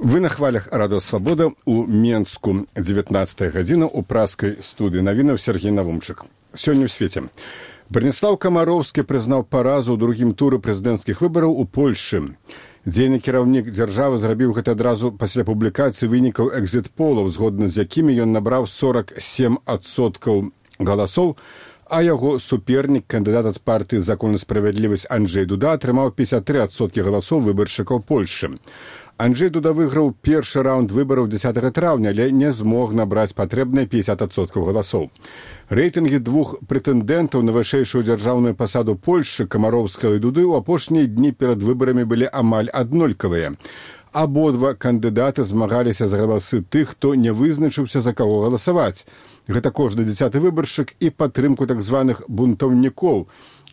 Вы на хвалях Радио Свобода у Менску 19 гадзіна у праскай студыі навінаў Сергей Навумчык. Сёння ў свеце. Браніслаў Камароўскі прызнаў паразу ў другім туры прэзідэнцкіх выбараў у Польшчы. Дзейны кіраўнік дзяржавы зрабіў гэта адразу пасля публікацыі вынікаў экзіт-полаў, згодна з якімі ён набраў 47% галасоў, а яго супернік, кандыдат ад партыі «Закон і справядлівасць» Анджэй Дуда атрымаў 53% галасоў выбаршчыкаў Польшчы. Анджэй Дуда выйграў першы раунд выбараў 10 траўня, але не змог набраць патрэбныя 50% галасоў. Рэйтынгі двух прэтэндэнтаў на вышэйшую дзяржаўную пасаду Польшчы, Камароўскага і Дуды, у апошнія дні перад выбарамі былі амаль аднолькавыя. Абодва кандыдаты змагаліся за галасы тых, хто не вызначыўся, за каго галасаваць. Гэта кожны 10-ы выбаршчык і падтрымку так званых бунтаўнікоў,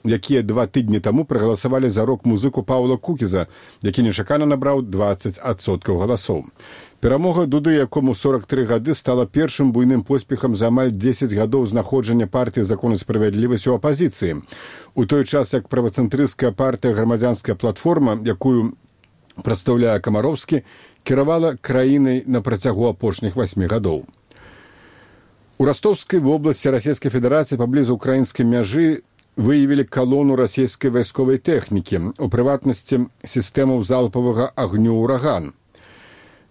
якія 2 тыдні таму прагаласавалі за рок-музыку Паўла Кукіза, які нечакана набраў 20% галасоў. Перамога Дуды, якому 43 гады, стала першым буйным поспехам за амаль 10 гадоў знаходжання партыі «Закон і справядлівасць» у апазіцыі. У той час, як правацэнтрысцкая партыя «Грамадзянская платформа», якую прадстаўляе Камароўскі, кіравала краінай на працягу апошніх 8 гадоў. У Ростовскай вобласці Расійскай Федэрацыі паблізу украінскай мяжы выявілі калону расійскай вайсковай тэхнікі, у прыватнасці сістэмаў залпавага агню «Ураган».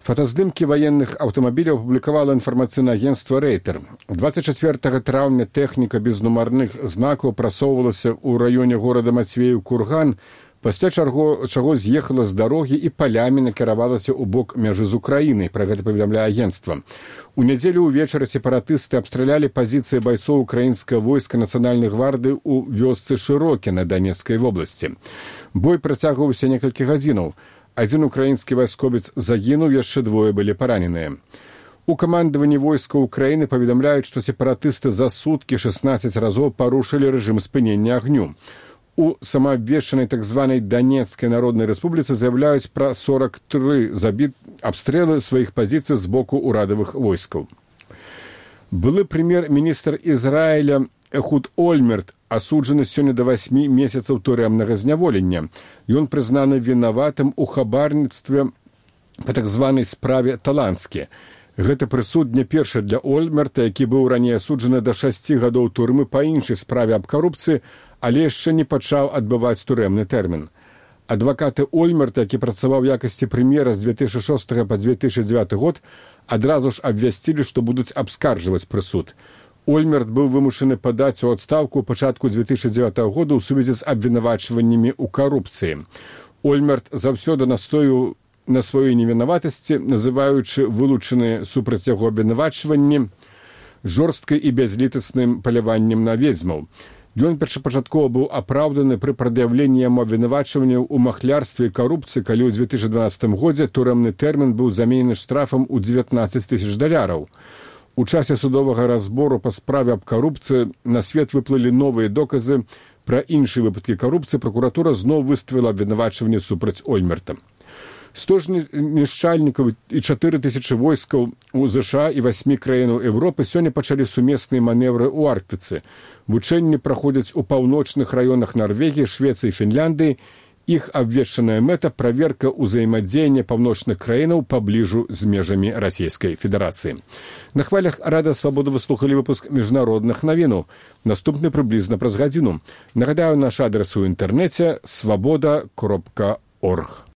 Фотаздымкі ваенных аўтамабіляў апублікавала інфармацыйнае агенцтва «Рэйтер». 24 траўня тэхніка без нумарных знакаў прасоўвалася ў раёне горада Мацвеў-Курган, пасля чаго з'ехала з дарогі і палямі накіравалася ў бок мяжы з Украінай, пра гэта паведамляе агенцтва. У нядзелю ўвечары сепаратысты абстралялі пазіцыі байцоў украінскага войска нацыянальнай гвардыі ў вёсцы Шырокі на Данецкай вобласці. Бой працягваўся некалькі гадзінаў. Адзін украінскі вайсковец загінуў, яшчэ 2 былі параненыя. У камандаванні войска Украіны паведамляюць, што сепаратысты за суткі 16 разоў парушылі рэжым спынення агню. У самаабвешчанай так званай Данецкай народнай рэспубліцы заяўляюць пра 43 абстрэлы сваіх пазіцый з боку ўрадавых войскаў. Былы прэм'ер-міністр Ізраіля Эхуд Ольмерт асуджаны сёння да 8 месяцаў турэмнага зняволення. Ён прызнаны вінаватым у хабарніцтве па так званай справе Таланскі. Гэты прысуд не першы для Ольмерта, які быў раней асуджаны да 6 гадоў турмы па іншай справе аб карупцыі, але яшчэ не пачаў адбываць турэмны тэрмін. Адвакаты Ольмерта, які працаваў у якасці прэм'ера з 2006 па 2009 год, адразу ж абвясцілі, што будуць абскарджваць прысуд. Ольмерт быў вымушаны падаць у адстаўку ў пачатку 2009 года ў сувязі з абвінавачваннямі ў карупцыі. Ольмерт заўсёды настойваў на сваёй невінаватасці, называючы вылучаныя супраць яго абвінавачванні жорсткай і бязлітасным паляваннем на ведзьмаў. Ён першапачаткова быў апраўданы пры прад'яўленні яму абвінавачванняў у махлярстве і карупцыі, калі ў 2012 годзе турэмны тэрмін быў заменены штрафам у $19 000. У часе судовага разбору па справе аб карупцыі на свет выплылі новыя доказы пра іншыя выпадкі карупцыі, пракуратура зноў выставіла абвінавачванне супраць Ольмерта. 100 знішчальнікаў і 4000 войскаў у ЗША і 8 краінаў Еўропы сёння пачалі сумесныя манеўры ў Арктыцы. Вучэнні праходзяць у паўночных раёнах Нарвегіі, Швецыі і Фінляндыі. Іх абвешчаная мэта – праверка ўзаемадзеяння паўночных краінаў пабліжу з межамі Расійскай Федэрацыі. На хвалях Радыё Свабода вы слухалі выпуск міжнародных навінаў. Наступны прыблізна праз гадзіну. Нагадаю, наш адрес у інтэрнэце – swaboda.org.